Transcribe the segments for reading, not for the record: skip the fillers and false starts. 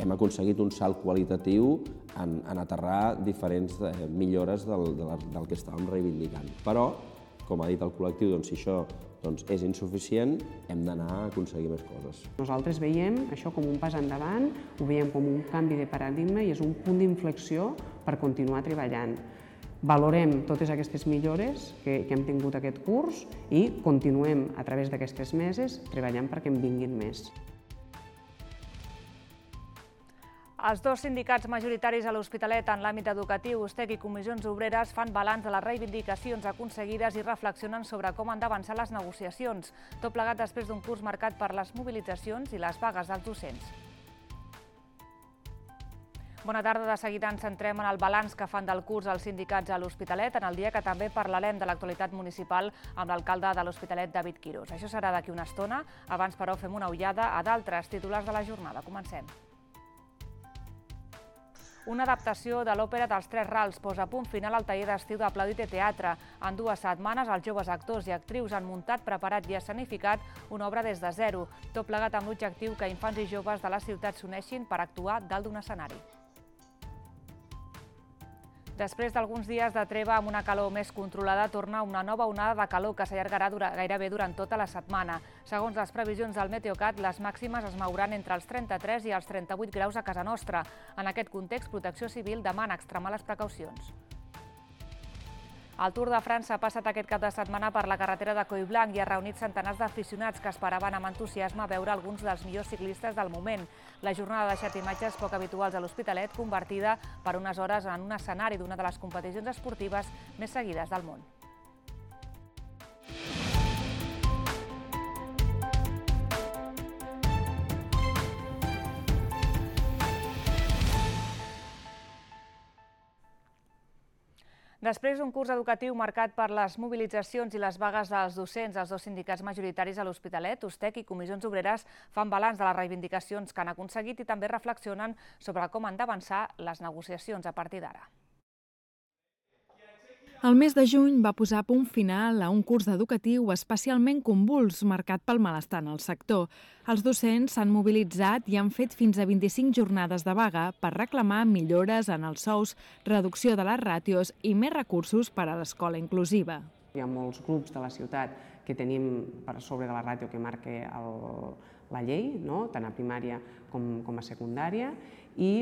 hem aconseguit un salt qualitatiu en aterrar diferents millores del que estàvem reivindicant. Però, com ha dit el col·lectiu, si això és insuficient, hem d'anar a aconseguir més coses. Nosaltres veiem això com un pas endavant, ho veiem com un canvi de paradigma i és un punt d'inflexió per continuar treballant. Valorem totes aquestes millores que hem tingut aquest curs i continuem a través d'aquestes meses treballant perquè en vinguin més. Els dos sindicats majoritaris a l'Hospitalet en l'àmbit educatiu, USTEC i Comissions Obreres, fan balanç de les reivindicacions aconseguides i reflexionen sobre com han d'avançar les negociacions, tot plegat després d'un curs marcat per les mobilitzacions i les vagues dels docents. Bona tarda, de seguida ens centrem en el balanç que fan del curs els sindicats a l'Hospitalet, en el dia que també parlarem de l'actualitat municipal amb l'alcalde de l'Hospitalet, David Quirós. Això serà d'aquí una estona, abans però fem una ullada a d'altres titulars de la jornada. Comencem. Una adaptació de l'òpera dels Tres Rals posa punt final al taller d'estiu d'Aplaudite Teatre. En 2 setmanes, els joves actors i actrius han muntat, preparat i escenificat una obra des de zero, tot plegat amb l'objectiu que infants i joves de la ciutat s'uneixin per actuar dalt d'un escenari. Després d'alguns dies de treva amb una calor més controlada, torna una nova onada de calor que s'allargarà gairebé durant tota la setmana. Segons les previsions del Meteocat, les màximes es mouran entre els 33 i els 38 graus a casa nostra. En aquest context, Protecció Civil demana extremar les precaucions. El Tour de França ha passat aquest cap de setmana per la carretera de Collblanc i ha reunit centenars d'aficionats que esperaven amb entusiasme veure alguns dels millors ciclistes del moment. La jornada ha deixat imatges poc habituals a l'Hospitalet, convertida per unes hores en un escenari d'una de les competicions esportives més seguides del món. Després d'un curs educatiu marcat per les mobilitzacions i les vagues dels docents, els dos sindicats majoritaris a l'Hospitalet, USTEC i Comissions Obreres, fan balanç de les reivindicacions que han aconseguit i també reflexionen sobre com han d'avançar les negociacions a partir d'ara. El mes de juny va posar punt final a un curs educatiu especialment convuls, marcat pel malestar en el sector. Els docents s'han mobilitzat i han fet fins a 25 jornades de vaga per reclamar millores en els sous, reducció de les ràtios i més recursos per a l'escola inclusiva. Hi ha molts grups de la ciutat que tenim per sobre de la ràtio que marca la llei, tant a primària com a secundària, i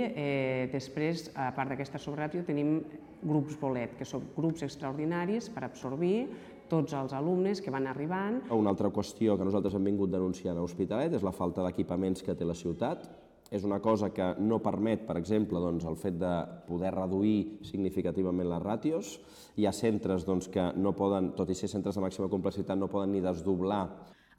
després, a part d'aquesta sobreràtio, tenim grups bolet, que són grups extraordinaris per absorbir tots els alumnes que van arribant. Una altra qüestió que nosaltres hem vingut denunciant a l'Hospitalet és la falta d'equipaments que té la ciutat. És una cosa que no permet, per exemple, el fet de poder reduir significativament les ràtios. Hi ha centres que no poden, tot i ser centres de màxima complexitat, no poden ni desdoblar.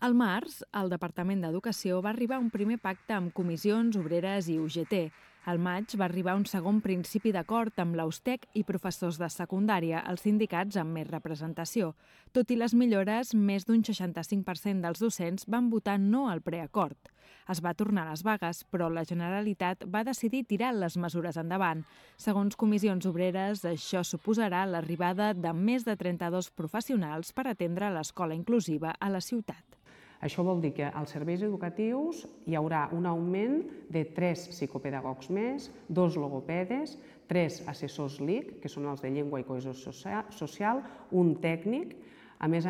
Al març, el Departament d'Educació va arribar a un primer pacte amb Comissions Obreres i UGT. Al maig va arribar un segon principi d'acord amb l'USTEC i professors de secundària, els sindicats amb més representació. Tot i les millores, més d'un 65% dels docents van votar no al preacord. Es va tornar a les vagues, però la Generalitat va decidir tirar les mesures endavant. Segons Comissions Obreres, això suposarà l'arribada de més de 32 professionals per atendre l'escola inclusiva a la ciutat. Això vol dir que als serveis educatius hi haurà un augment de 3 psicopedagogs més, 2 logopedes, 3 assessors LIC, que són els de llengua i cohesió social, un tècnic. A més,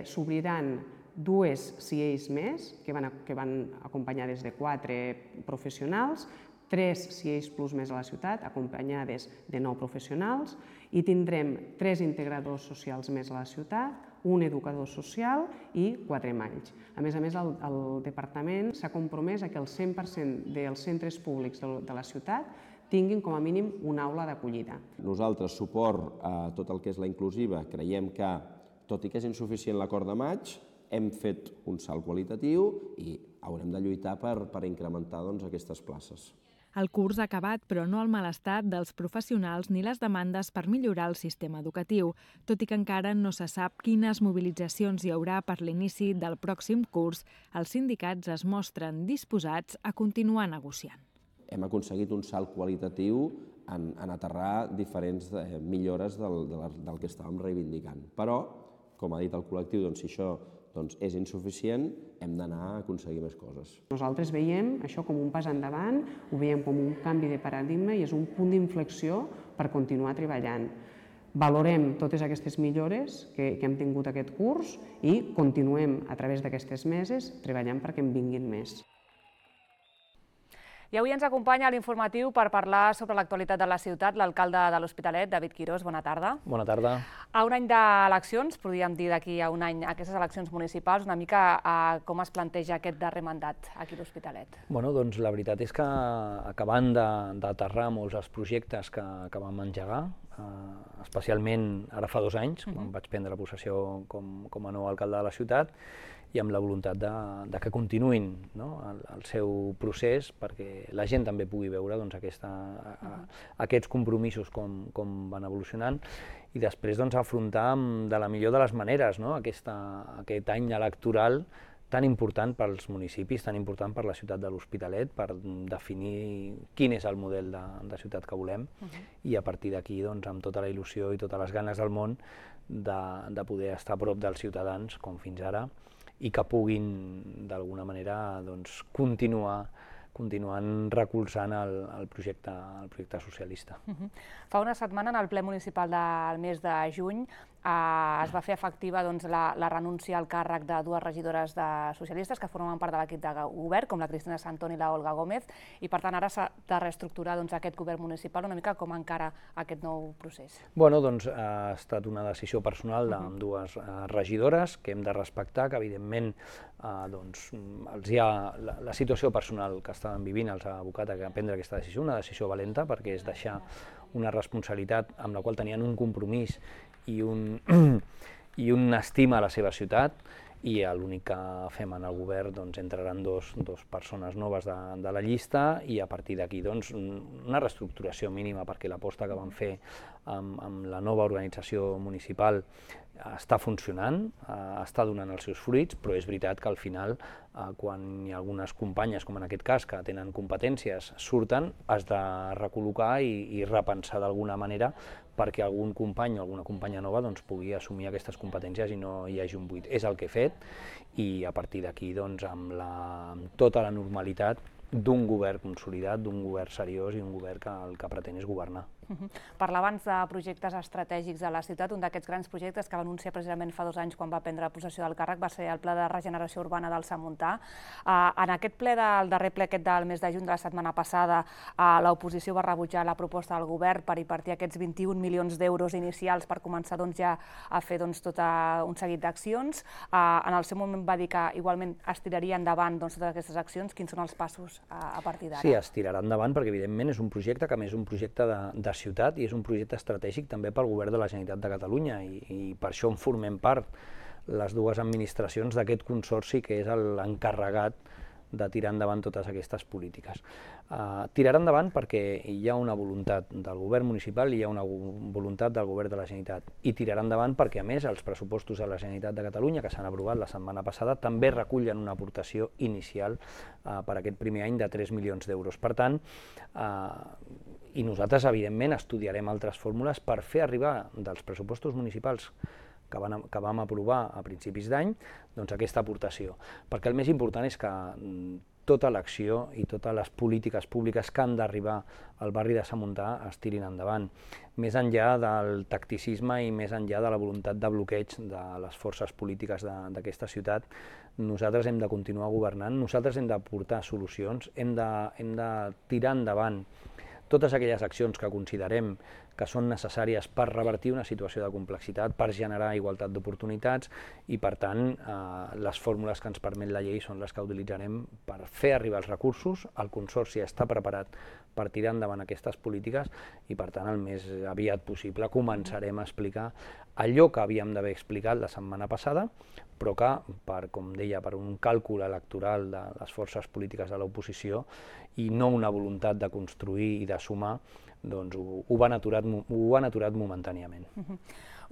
s'obriran 2 CIEs més, que van acompanyades de 4 professionals, 3 CIEs Plus més a la ciutat, acompanyades de 9 professionals, i tindrem 3 integradors socials més a la ciutat, un educador social i 4 malls. A més, el departament s'ha compromès a que el 100% dels centres públics de la ciutat tinguin com a mínim una aula d'acollida. Nosaltres, suport a tot el que és la inclusiva, creiem que, tot i que és insuficient l'acord de maig, hem fet un salt qualitatiu i haurem de lluitar per incrementar aquestes places. El curs ha acabat, però no el malestar dels professionals ni les demandes per millorar el sistema educatiu, tot i que encara no se sap quines mobilitzacions hi haurà per l'inici del pròxim curs. Els sindicats es mostren disposats a continuar negociant. Hem aconseguit un salt qualitatiu en aterrar diferents millores del que estàvem reivindicant. Però, com ha dit el col·lectiu, si això doncs és insuficient, hem d'anar a aconseguir més coses. Nosaltres veiem això com un pas endavant, ho veiem com un canvi de paradigma i és un punt d'inflexió per continuar treballant. Valorem totes aquestes millores que hem tingut aquest curs i continuem a través d'aquestes meses treballant perquè en vinguin més. I avui ens acompanya a l'informatiu per parlar sobre l'actualitat de la ciutat l'alcalde de l'Hospitalet, David Quirós. Bona tarda. Bona tarda. A un any d'eleccions, podríem dir d'aquí a un any, aquestes eleccions municipals, una mica com es planteja aquest darrer mandat aquí a l'Hospitalet? Bueno, doncs la veritat és que acabant d'aterrar molts dels projectes que vam engegar, especialment ara fa 2 anys, quan vaig prendre possessió com a nou alcalde de la ciutat, i amb la voluntat de que continuïn el seu procés perquè la gent també pugui veure aquests compromisos com van evolucionant i després afrontar de la millor de les maneres aquest any electoral tan important pels municipis, tan important per la ciutat de l'Hospitalet, per definir quin és el model de ciutat que volem i a partir d'aquí, amb tota la il·lusió i totes les ganes del món de poder estar a prop dels ciutadans, com fins ara, i que puguin d'alguna manera continuant recolzant el projecte socialista. Fa una setmana, en el ple municipal del mes de juny, es va fer efectiva la renúncia al càrrec de 2 regidores socialistes que formen part de l'equip de govern, com la Cristina Santón i la Olga Gómez, i per tant ara s'ha de reestructurar aquest govern municipal. Una mica com encara aquest nou procés? Bueno, doncs ha estat una decisió personal d'ambdues regidores que hem de respectar, que evidentment la situació personal que estaven vivint els ha abocat a prendre aquesta decisió, una decisió valenta perquè és deixar una responsabilitat amb la qual tenien un compromís i una estima a la seva ciutat, i l'únic que fem en el govern entraran dos persones noves de la llista i a partir d'aquí una reestructuració mínima perquè l'aposta que vam fer amb la nova organització municipal està funcionant, està donant els seus fruits, però és veritat que al final, quan hi ha algunes companyes, com en aquest cas, que tenen competències, surten, has de recol·locar i repensar d'alguna manera perquè algun company o alguna companya nova pugui assumir aquestes competències i no hi hagi un buit. És el que he fet i a partir d'aquí, amb tota la normalitat d'un govern consolidat, d'un govern seriós i un govern que el que pretén és governar. Parlar abans de projectes estratègics de la ciutat, un d'aquests grans projectes que va anunciar precisament fa 2 anys quan va prendre possessió del càrrec va ser el Pla de Regeneració Urbana del Samuntà. En aquest ple, el darrer ple del mes de juny de la setmana passada, l'oposició va rebutjar la proposta del govern per invertir aquests 21 milions d'euros inicials per començar ja a fer tot un seguit d'accions. En el seu moment va dir que igualment es tiraria endavant totes aquestes accions. Quins són els passos a partir d'ara? Sí, es tirarà endavant perquè evidentment és un projecte que a més és un projecte de ciutat i és un projecte estratègic també pel govern de la Generalitat de Catalunya i per això en formem part les 2 administracions d'aquest consorci que és l'encarregat de tirar endavant totes aquestes polítiques. Tirarà endavant perquè hi ha una voluntat del govern municipal i hi ha una voluntat del govern de la Generalitat i tirarà endavant perquè a més els pressupostos de la Generalitat de Catalunya que s'han aprovat la setmana passada també recullen una aportació inicial per aquest primer any de 3 milions d'euros. Per tant, i nosaltres, evidentment, estudiarem altres fórmules per fer arribar dels pressupostos municipals que vam aprovar a principis d'any aquesta aportació. Perquè el més important és que tota l'acció i totes les polítiques públiques que han d'arribar al barri de Samuntà es tirin endavant. Més enllà del tacticisme i més enllà de la voluntat de bloqueig de les forces polítiques d'aquesta ciutat, nosaltres hem de continuar governant, nosaltres hem d'aportar solucions, hem de tirar endavant totes aquelles accions que considerem que són necessàries per revertir una situació de complexitat, per generar igualtat d'oportunitats i, per tant, les fórmules que ens permet la llei són les que utilitzarem per fer arribar els recursos. El Consorci està preparat per tirar endavant aquestes polítiques i, per tant, el més aviat possible començarem a explicar allò que havíem d'haver explicat la setmana passada, però que, com deia, per un càlcul electoral de les forces polítiques de l'oposició i no una voluntat de construir i de sumar, doncs ho han aturat momentàniament.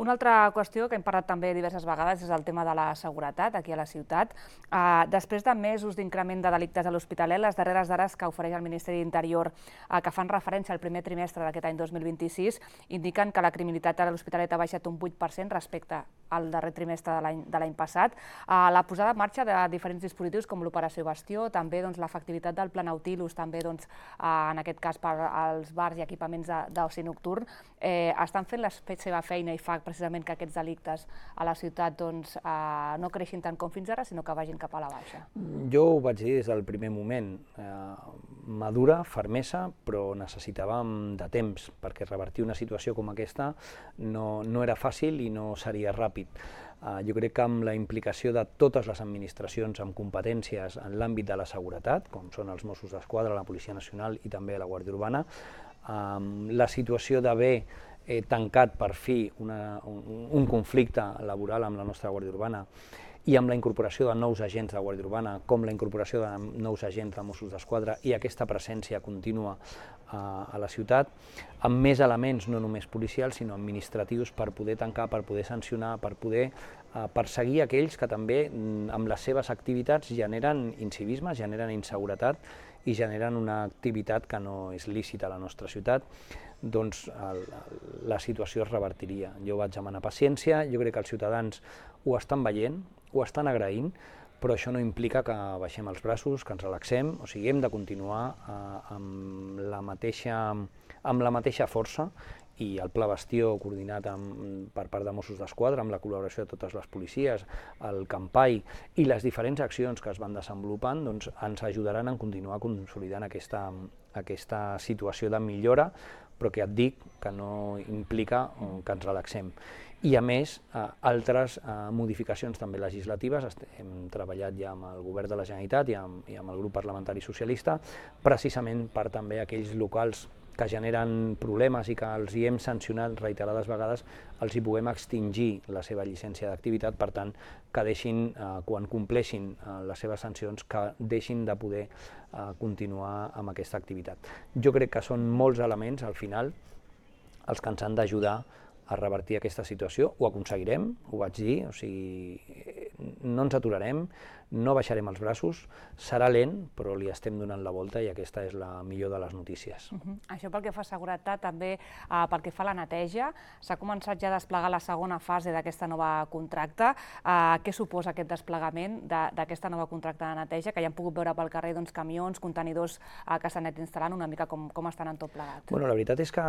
Una altra qüestió que hem parlat també diverses vegades és el tema de la seguretat aquí a la ciutat. Després de mesos d'increment de delictes a l'Hospitalet, les darreres dades que ofereix el Ministeri d'Interior que fan referència al primer trimestre d'aquest any 2026 indiquen que la criminalitat a l'Hospitalet ha baixat un 8% respecte el darrer trimestre de l'any passat. La posada en marxa de diferents dispositius com l'Operació Bastió, també l'efectivitat del Pla Nautilus, també en aquest cas per als bars i equipaments d'oci nocturn, estan fent la seva feina i fa precisament que aquests delictes a la ciutat no creixin tant com fins ara, sinó que vagin cap a la baixa. Jo ho vaig dir des del primer moment, madura, fermesa, però necessitàvem de temps, perquè revertir una situació com aquesta no era fàcil i no seria ràpid. Jo crec que amb la implicació de totes les administracions amb competències en l'àmbit de la seguretat, com són els Mossos d'Esquadra, la Policia Nacional i també la Guàrdia Urbana, la situació d'haver tancat per fi un conflicte laboral amb la nostra Guàrdia Urbana i amb la incorporació de nous agents de Guàrdia Urbana, com la incorporació de nous agents de Mossos d'Esquadra i aquesta presència contínua a la ciutat, amb més elements no només policials, sinó administratius per poder tancar, per poder sancionar, per poder perseguir aquells que també amb les seves activitats generen incivisme, generen inseguretat i generen una activitat que no és lícita a la nostra ciutat, doncs la situació es revertiria. Jo vaig demanar paciència, jo crec que els ciutadans ho estan veient, ho estan agraint, però això no implica que baixem els braços, que ens relaxem, o sigui, hem de continuar amb la mateixa força i el Pla Bastió coordinat per part de Mossos d'Esquadra, amb la col·laboració de totes les policies, el Campai i les diferents accions que es van desenvolupant, doncs ens ajudaran a continuar consolidant aquesta situació de millora, però que et dic que no implica que ens relaxem. I a més, altres modificacions també legislatives, hem treballat ja amb el Govern de la Generalitat i amb el grup parlamentari socialista, precisament per també aquells locals que generen problemes i que els hi hem sancionat reiterades vegades, els hi puguem extingir la seva llicència d'activitat, per tant, que deixin, quan compleixin les seves sancions, que deixin de poder continuar amb aquesta activitat. Jo crec que són molts elements, al final, els que ens han d'ajudar a revertir aquesta situació. Ho aconseguirem, ho vaig dir, o sigui, no ens aturarem, no baixarem els braços, serà lent, però li estem donant la volta i aquesta és la millor de les notícies. Això pel que fa a seguretat, també pel que fa a la neteja, s'ha començat ja a desplegar la segona fase d'aquesta nova contracte. Què suposa aquest desplegament d'aquesta nova contracte de neteja, que ja hem pogut veure pel carrer camions, contenidors que s'han anat instal·lant, una mica com estan en tot plegat? La veritat és que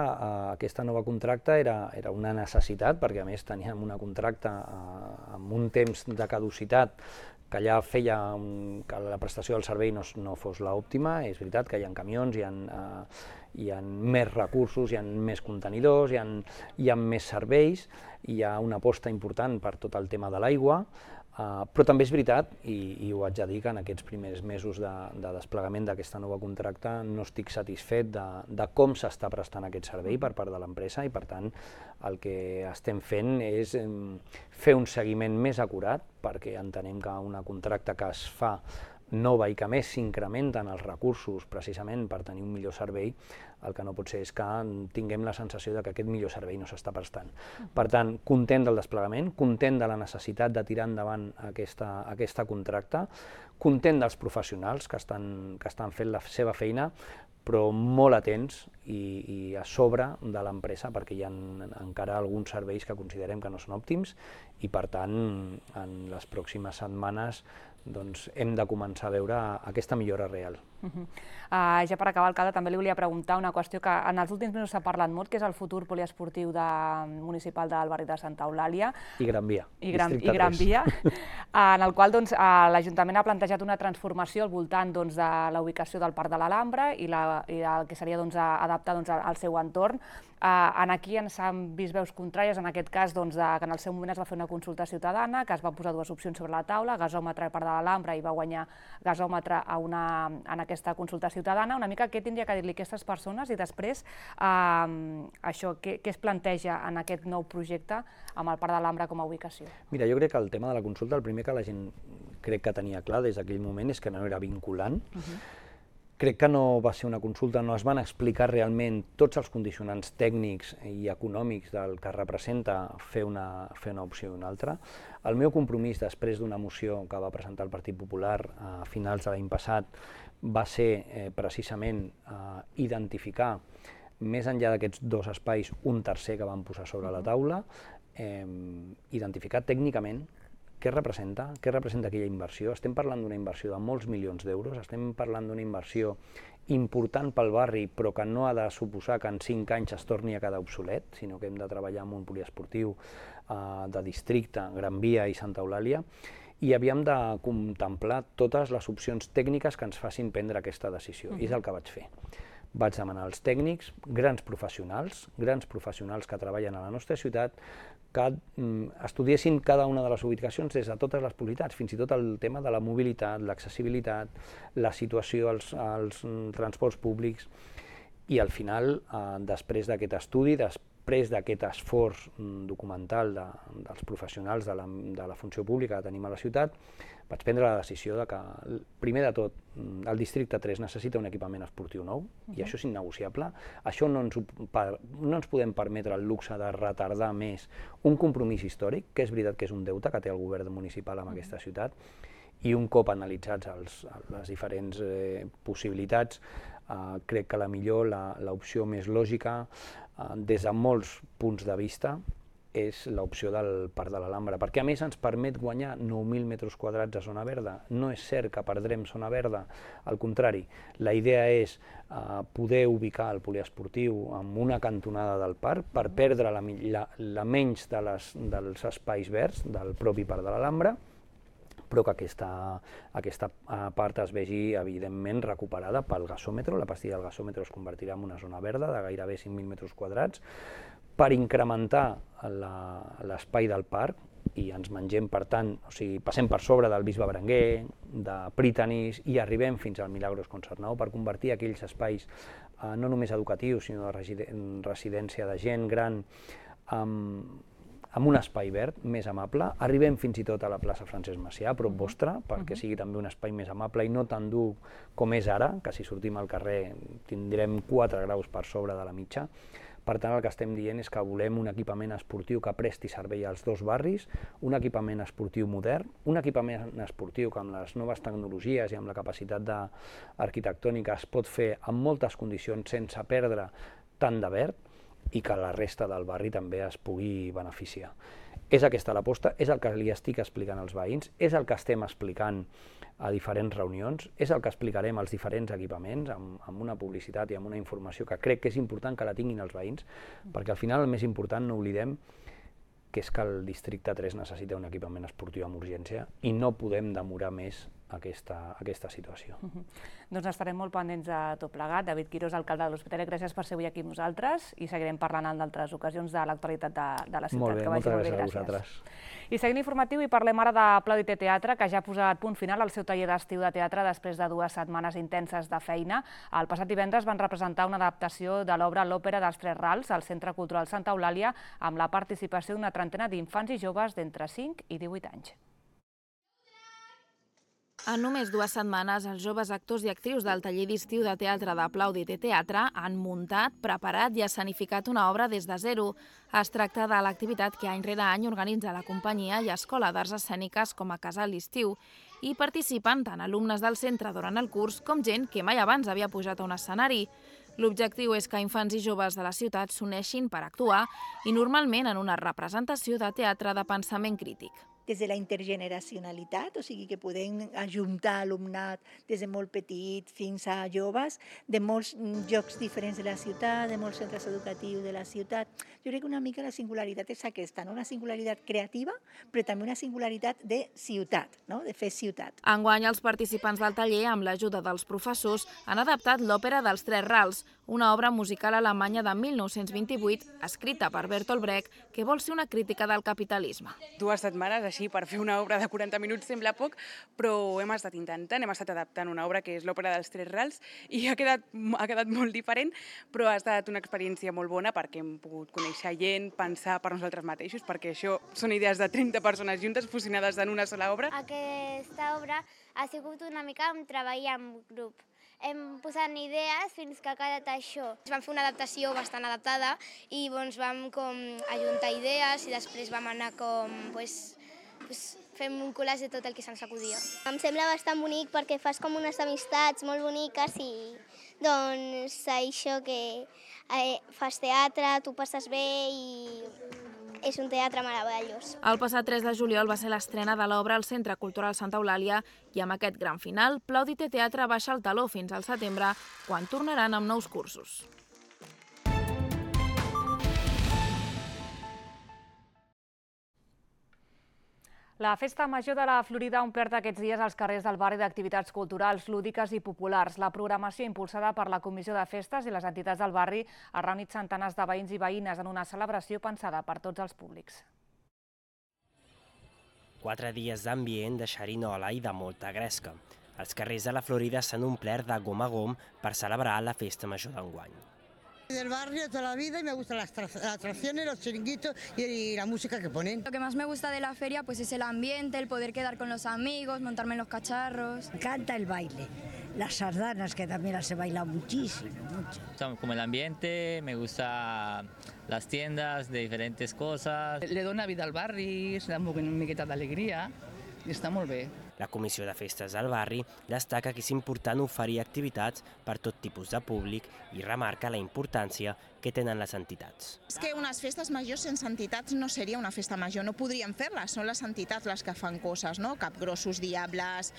aquesta nova contracte era una necessitat, perquè a més teníem una contracte amb un temps de caducitat que ja feia que la prestació del servei no fos l'òptima. És veritat que hi ha camions, hi ha més recursos, hi ha més contenidors, hi ha més serveis, hi ha una aposta important per tot el tema de l'aigua, però també és veritat, i ho haig de dir, que en aquests primers mesos de desplegament d'aquesta nova contracte no estic satisfet de com s'està prestant aquest servei per part de l'empresa i, per tant, el que estem fent és fer un seguiment més acurat, perquè entenem que una contracta que es fa nova i que més s'incrementen els recursos precisament per tenir un millor servei, el que no pot ser és que tinguem la sensació que aquest millor servei no s'està prestant. Per tant, content del desplegament, content de la necessitat de tirar endavant aquesta contracta, content dels professionals que estan fent la seva feina, però molt atents i a sobre de l'empresa, perquè hi ha encara alguns serveis que considerem que no són òptims i, per tant, en les pròximes setmanes hem de començar a veure aquesta millora real. Ja per acabar, alcalde, també li volia preguntar una qüestió que en els últims mesos s'ha parlat molt, que és el futur poliesportiu municipal del barri de Santa Eulàlia. I Gran Via. I Gran Via, en el qual l'Ajuntament ha plantejat una transformació al voltant de la ubicació del Parc de l'Alhambra i el que seria adaptar al seu entorn. Aquí ens han vist veus contràries, en aquest cas que en el seu moment es va fer una consulta ciutadana, que es van posar dues opcions sobre la taula, gasòmetre al Parc de l'Alhambra, i va guanyar gasòmetre en aquesta consulta ciutadana. Una mica què tindria que dir-li a aquestes persones i després què es planteja en aquest nou projecte amb el Parc de l'Alhambra com a ubicació? Mira, jo crec que el tema de la consulta, el primer que la gent crec que tenia clar des d'aquell moment és que no era vinculant. Crec que no va ser una consulta, no es van explicar realment tots els condicionants tècnics i econòmics del que representa fer una opció i una altra. El meu compromís després d'una moció que va presentar el Partit Popular a finals de l'any passat va ser precisament identificar, més enllà d'aquests dos espais, un tercer que vam posar sobre la taula. identificar tècnicament què representa aquella inversió. Estem parlant d'una inversió de molts milions d'euros, estem parlant d'una inversió important pel barri, però que no ha de suposar que en 5 anys es torni a quedar obsolet, sinó que hem de treballar amb un poliesportiu de districte, Gran Via i Santa Eulàlia, i havíem de contemplar totes les opcions tècniques que ens facin prendre aquesta decisió, i és el que vaig fer. Vaig demanar als tècnics, grans professionals que treballen a la nostra ciutat, que estudiessin cada una de les ubicacions des de totes les possibilitats, fins i tot el tema de la mobilitat, l'accessibilitat, la situació als transports públics, i al final, després d'aquest estudi, després d'aquest esforç documental dels professionals de la funció pública que tenim a la ciutat, vaig prendre la decisió que, primer de tot, el districte 3 necessita un equipament esportiu nou, i això és innegociable. Això no ens podem permetre el luxe de retardar més un compromís històric, que és veritat que és un deute que té el govern municipal amb aquesta ciutat, i un cop analitzats les diferents possibilitats, crec que l'opció més lògica, des de molts punts de vista, és l'opció del Parc de l'Alhambra, perquè a més ens permet guanyar 9.000 metres quadrats de zona verda. No és cert que perdrem zona verda, al contrari, la idea és poder ubicar el poliesportiu en una cantonada del parc per perdre la menys dels espais verds del propi Parc de l'Alhambra, però que aquesta part es vegi evidentment recuperada pel gasòmetre. La pastilla del gasòmetre es convertirà en una zona verda de gairebé 5.000 metres quadrats, per incrementar l'espai del parc, i ens mengem, per tant, passem per sobre del Bisbe Berenguer, de Prytanis, i arribem fins al Milagros Concertnau per convertir aquells espais no només educatius, sinó de residència de gent gran, amb un espai verd més amable. Arribem fins i tot a la plaça Francesc Macià, a prop vostre, perquè sigui també un espai més amable i no tan dur com és ara, que si sortim al carrer tindrem 4 graus per sobre de la mitja. Per tant, el que estem dient és que volem un equipament esportiu que presti servei als 2 barris, un equipament esportiu modern, un equipament esportiu que amb les noves tecnologies i amb la capacitat arquitectònica es pot fer en moltes condicions sense perdre tant de verd, i que la resta del barri també es pugui beneficiar. És aquesta l'aposta, és el que li estic explicant als veïns, és el que estem explicant a diferents reunions, és el que explicarem als diferents equipaments amb una publicitat i amb una informació que crec que és important que la tinguin els veïns, perquè al final el més important, no oblidem, que és que el districte 3 necessita un equipament esportiu amb urgència i no podem demorar més aquesta situació. Doncs estarem molt pendents de tot plegat. David Quirós, alcalde de l'Hospitalet, gràcies per ser avui aquí amb nosaltres i seguirem parlant en d'altres ocasions de l'actualitat de la ciutat. Molt bé, moltes gràcies a vosaltres. I seguint informatiu, i parlem ara de Plaudite Teatre, que ja ha posat punt final al seu taller d'estiu de teatre després de 2 setmanes intenses de feina. El passat divendres van representar una adaptació de l'obra L'Òpera dels Tres Rals al Centre Cultural Santa Eulàlia amb la participació d'una trentena d'infants i joves d'entre 5 i 18 anys. En només 2 setmanes, els joves actors i actrius del taller d'estiu de teatre de Plaudite Teatre han muntat, preparat i escenificat una obra des de zero. Es tracta de l'activitat que any rere any organitza la companyia i Escola d'Arts Escèniques com a casal d'estiu. Hi participen tant alumnes del centre durant el curs com gent que mai abans havia pujat a un escenari. L'objectiu és que infants i joves de la ciutat s'uneixin per actuar i normalment en una representació de teatre de pensament crític. Des de la intergeneracionalitat, o sigui que podem ajuntar alumnat des de molt petit fins a joves, de molts llocs diferents de la ciutat, de molts centres educatius de la ciutat. Jo crec que una mica la singularitat és aquesta, no? Una singularitat creativa, però també una singularitat de ciutat, no? De fer ciutat. Enguany, els participants del taller, amb l'ajuda dels professors, han adaptat l'Òpera dels Tres Rals, una obra musical alemanya de 1928, escrita per Bertolt Brecht, que vol ser una crítica del capitalisme. 2 setmanes així per fer una obra de 40 minuts sembla poc, però hem estat intentant, hem estat adaptant una obra que és l'Òpera dels Tres Rals i ha quedat molt diferent, però ha estat una experiència molt bona perquè hem pogut conèixer gent, pensar per nosaltres mateixos, perquè això són idees de 30 persones juntes fusionades en una sola obra. Aquesta obra ha sigut una mica un treball en grup. Hem posat idees fins que ha quedat això. Vam fer una adaptació bastant adaptada i vam ajuntar idees i després vam anar fem un collage de tot el que se'ns acudia. Em sembla bastant bonic perquè fas com unes amistats molt boniques i doncs això que fas teatre, tu passes bé i és un teatre meravellós. El passat 3 de juliol va ser l'estrena de l'obra al Centre Cultural Santa Eulàlia i amb aquest gran final, Plaudite Teatre baixa el taló fins al setembre, quan tornaran amb nous cursos. La Festa Major de la Florida ha omplert aquests dies els carrers del barri d'activitats culturals, lúdiques i populars. La programació impulsada per la Comissió de Festes i les entitats del barri ha reunit centenars de veïns i veïnes en una celebració pensada per tots els públics. 4 dies d'ambient, de xerinola i de molta gresca. Els carrers de la Florida s'han omplert de gom a gom per celebrar la Festa Major d'enguany. Del barrio toda la vida y me gustan las atracciones, los chiringuitos y la música que ponen. Lo que más me gusta de la feria pues es el ambiente, el poder quedar con los amigos, montarme en los cacharros. Me encanta el baile, las sardanas que también las he bailado muchísimo, mucho. Como el ambiente, me gusta las tiendas de diferentes cosas. Le dona vida al barri, se da una miqueta d'alegria i està molt bé. La Comissió de Festes del barri destaca que és important oferir activitats per tot tipus de públic i remarca la importància que tenen les entitats. És que unes festes majors sense entitats no seria una festa major, no podríem fer-les, són les entitats les que fan coses, no? Capgrossos, Diables,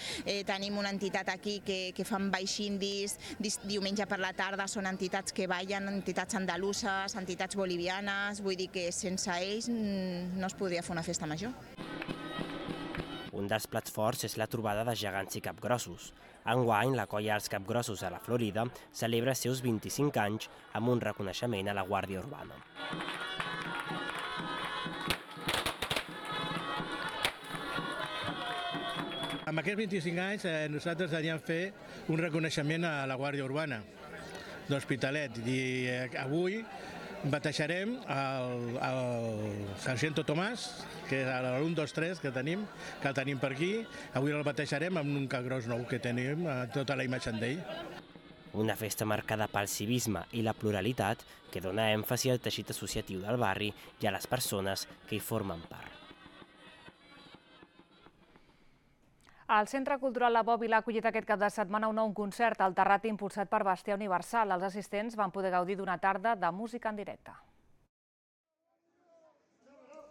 tenim una entitat aquí que fan baixindis, diumenge per la tarda són entitats que ballen, entitats andaluses, entitats bolivianes, vull dir que sense ells no es podria fer una festa major. Un dels plats forts és la trobada de gegants i capgrossos. Enguany, la colla dels capgrossos a la Florida celebra els seus 25 anys amb un reconeixement a la Guàrdia Urbana. Amb aquests 25 anys nosaltres havíem fet un reconeixement a la Guàrdia Urbana d'Hospitalet i avui batejarem el Sargento Tomàs, que és l'1, 2, 3 que el tenim per aquí. Avui el batejarem amb un capgros nou que tenim, tota la imatge d'ell. Una festa marcada pel civisme i la pluralitat que dona èmfasi al teixit associatiu del barri i a les persones que hi formen part. El Centre Cultural La Bòbila ha acollit aquest cap de setmana un nou concert al Terrat impulsat per Bastià Universal. Els assistents van poder gaudir d'una tarda de música en directe.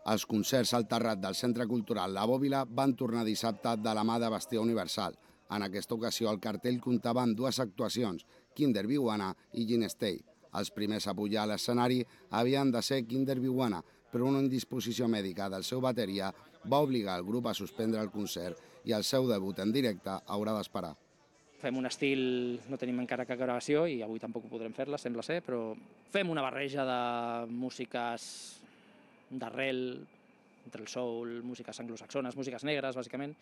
Els concerts al Terrat del Centre Cultural La Bòbila van tornar dissabte de la mà de Bastià Universal. En aquesta ocasió el cartell comptava amb 2 actuacions, Kinder Viuana i Ginestei. Els primers a pujar a l'escenari havien de ser Kinder Viuana, però una indisposició mèdica del seu bateria va obligar el grup a suspendre el concert i el seu debut en directe haurà d'esperar. Fem un estil, no tenim encara cap gravació i avui tampoc podrem fer-la, sembla ser, però fem una barreja de músiques d'arrel, entre el soul, músiques anglosaxones, músiques negres, bàsicament,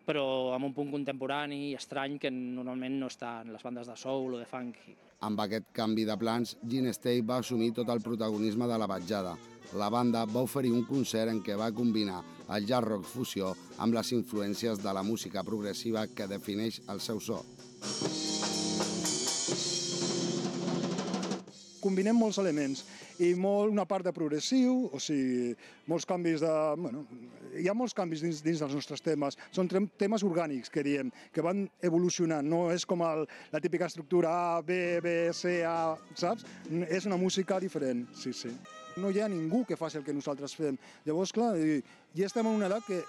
però amb un punt contemporani i estrany que normalment no està en les bandes de soul o de funk. Amb aquest canvi de plans, Ginestei va assumir tot el protagonisme de la vetjada. La banda va oferir un concert en què va combinar el jazz rock fusió amb les influències de la música progressiva que defineix el seu so. Combinem molts elements i una part de progressiu, o sigui, molts canvis de... Hi ha molts canvis dins dels nostres temes. Són temes orgànics, que diem, que van evolucionant. No és com la típica estructura A, B, B, C, A, saps? És una música diferent, sí, sí. No hi ha ningú que faci el que nosaltres fem. Llavors, clar, ja estem en una edat que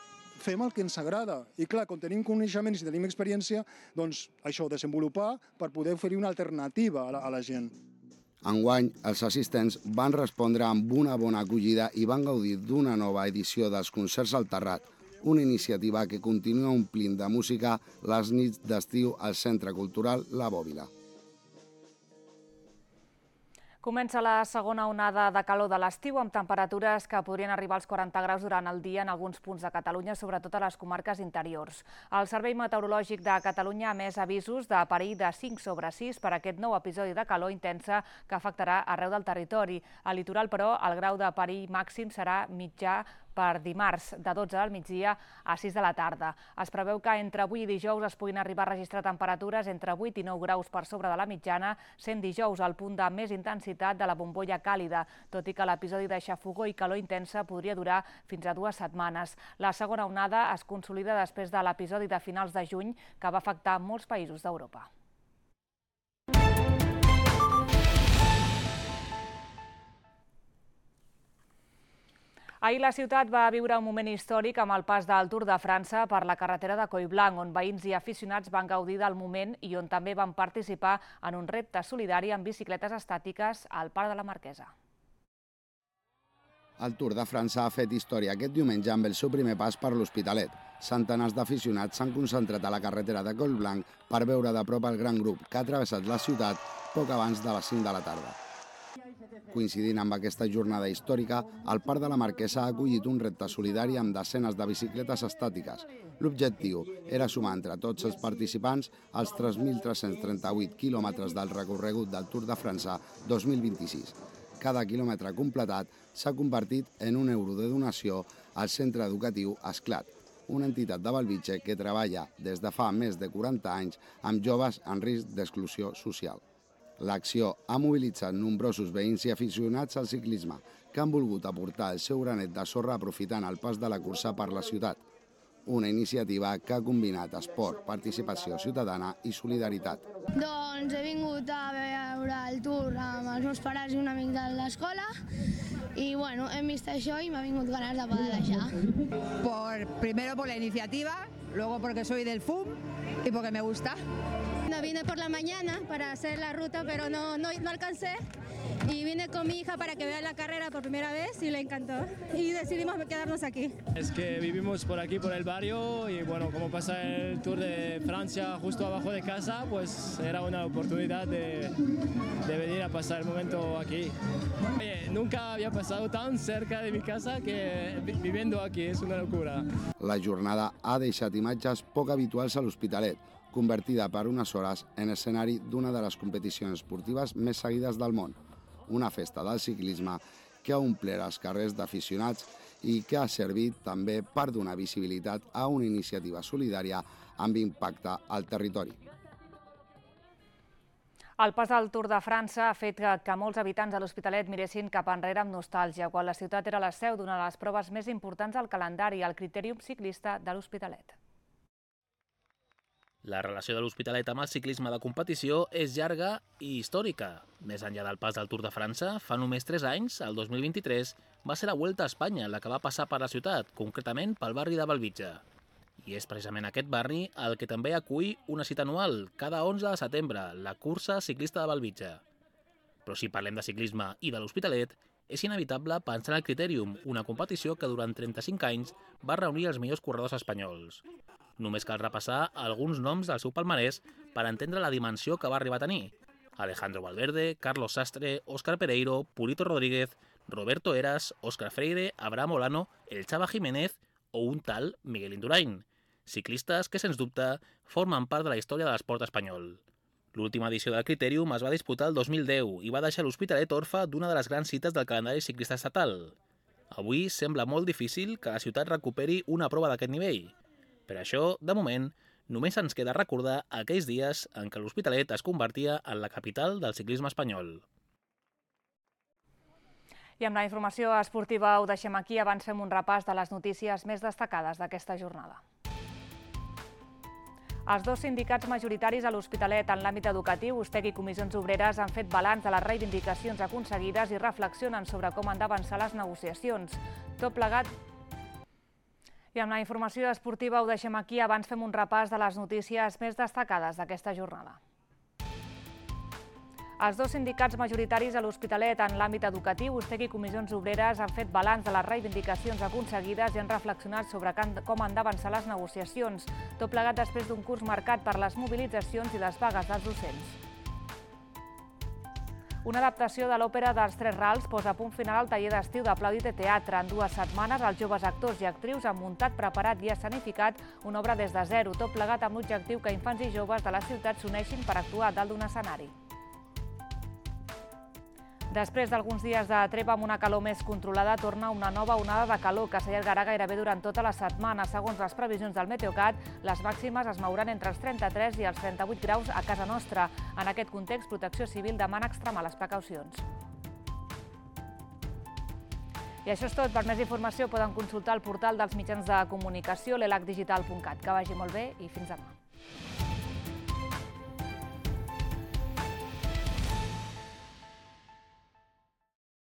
fem el que ens agrada. I clar, quan tenim coneixements i tenim experiència, doncs això, desenvolupar per poder oferir una alternativa a la gent. Enguany, els assistents van respondre amb una bona acollida i van gaudir d'una nova edició dels concerts al Terrat, una iniciativa que continua omplint de música les nits d'estiu al Centre Cultural La Bòbila. Comença la segona onada de calor de l'estiu amb temperatures que podrien arribar als 40 graus durant el dia en alguns punts de Catalunya, sobretot a les comarques interiors. El Servei Meteorològic de Catalunya ha emès avisos de perill de 5/6 per aquest nou episodi de calor intensa que afectarà arreu del territori. Al litoral, però, el grau de perill màxim serà mitjà per dimarts, de 12 del migdia a 6 de la tarda. Es preveu que entre avui i dijous es puguin arribar a registrar temperatures entre 8 i 9 graus per sobre de la mitjana, sent dijous el punt de més intensitat de la bombolla càlida, tot i que l'episodi de xafogor i calor intensa podria durar fins a 2 setmanes. La segona onada es consolida després de l'episodi de finals de juny que va afectar molts països d'Europa. Ahir la ciutat va viure un moment històric amb el pas del Tour de França per la carretera de Collblanc, on veïns i aficionats van gaudir del moment i on també van participar en un repte solidari amb bicicletes estàtiques al Parc de la Marquesa. El Tour de França ha fet història aquest diumenge amb el seu primer pas per l'Hospitalet. Centenars d'aficionats s'han concentrat a la carretera de Collblanc per veure de prop el gran grup que ha travessat la ciutat poc abans de les 5 de la tarda. Coincidint amb aquesta jornada històrica, el Parc de la Marquesa ha acollit un repte solidari amb desenes de bicicletes estàtiques. L'objectiu era sumar entre tots els participants els 3.338 quilòmetres del recorregut del Tour de França 2026. Cada quilòmetre completat s'ha convertit en €1 de donació al centre educatiu Esclat, una entitat de Bellvitge que treballa des de fa més de 40 anys amb joves en risc d'exclusió social. L'acció ha mobilitzat nombrosos veïns i aficionats al ciclisme que han volgut aportar el seu granet de sorra aprofitant el pas de la cursa per la ciutat. Una iniciativa que ha combinat esport, participació ciutadana i solidaritat. Doncs he vingut a veure el Tour amb els meus pares i un amic de l'escola y bueno, he visto això y me ha vingut ganas de pedalear. Primero por la iniciativa, luego porque soy del FUM y porque me gusta. No vine por la mañana para hacer la ruta, pero no alcancé. Y vine con mi hija para que vea la carrera por primera vez y le encantó. Y decidimos quedarnos aquí. Es que vivimos por aquí, por el barrio, y bueno, como pasa el Tour de Francia justo abajo de casa, pues era una oportunidad de venir a pasar el momento aquí. Oye, nunca había pasado tan cerca de mi casa que viviendo aquí, es una locura. La jornada ha deixat imatges poc habituals a l'Hospitalet, convertida per unes hores en escenari d'una de les competicions esportives més seguides del món. Una festa del ciclisme que ha omplert els carrers d'aficionats i que ha servit també per donar visibilitat a una iniciativa solidària amb impacte al territori. El pas del Tour de França ha fet que molts habitants de l'Hospitalet miressin cap enrere amb nostàlgia, quan la ciutat era la seu d'una de les proves més importants del calendari, el Critèrium Ciclista de l'Hospitalet. La relació de l'Hospitalet amb el ciclisme de competició és llarga i històrica. Més enllà del pas del Tour de França, fa només 3 anys, el 2023, va ser la Vuelta a Espanya la que va passar per la ciutat, concretament pel barri de Bellvitge. I és precisament aquest barri el que també acull una cita anual, cada 11 de setembre, la cursa ciclista de Bellvitge. Però si parlem de ciclisme i de l'Hospitalet, és inevitable pensar en el Critèrium, una competició que durant 35 anys va reunir els millors corredors espanyols. Només cal repassar alguns noms del seu palmarès per entendre la dimensió que va arribar a tenir. Alejandro Valverde, Carlos Sastre, Óscar Pereiro, Purito Rodríguez, Roberto Heras, Óscar Freire, Abraham Olano, el Chava Jiménez o un tal Miguel Indurain. Ciclistes que, sens dubte, formen part de la història de l'esport espanyol. L'última edició del Critèrium es va disputar el 2010 i va deixar l'Hospitalet orfe d'una de les grans cites del calendari ciclista estatal. Avui sembla molt difícil que la ciutat recuperi una prova d'aquest nivell. Per això, de moment, només ens queda recordar aquells dies en què l'Hospitalet es convertia en la capital del ciclisme espanyol. I amb la informació esportiva ho deixem aquí. Abans fem un repàs de les notícies més destacades d'aquesta jornada. Els dos sindicats majoritaris a l'Hospitalet en l'àmbit educatiu, USTEC i Comissions Obreres, han fet balanç de les reivindicacions aconseguides i reflexionen sobre com han d'avançar les negociacions. Tot plegat. I amb la informació esportiva ho deixem aquí. Abans fem un repàs de les notícies més destacades d'aquesta jornada. Els dos sindicats majoritaris a l'Hospitalet en l'àmbit educatiu, USTEC i Comissions Obreres, han fet balanç de les reivindicacions aconseguides i han reflexionat sobre com han d'avançar les negociacions, tot plegat després d'un curs marcat per les mobilitzacions i les vagues dels docents. Una adaptació de l'òpera dels Tres Rals posa punt final al taller d'estiu d'Aplaudite Teatre. En 2 setmanes, els joves actors i actrius han muntat, preparat i escenificat una obra des de zero, tot plegat amb l'objectiu que infants i joves de la ciutat s'uneixin per actuar dalt d'un escenari. Després d'alguns dies de treva amb una calor més controlada, torna una nova onada de calor que s'allargarà gairebé durant tota la setmana. Segons les previsions del Meteocat, les màximes es mouran entre els 33 i els 38 graus a casa nostra. En aquest context, Protecció Civil demana extremar les precaucions. I això és tot. Per més informació poden consultar el portal dels mitjans de comunicació, l'elacdigital.cat. Que vagi molt bé i fins demà.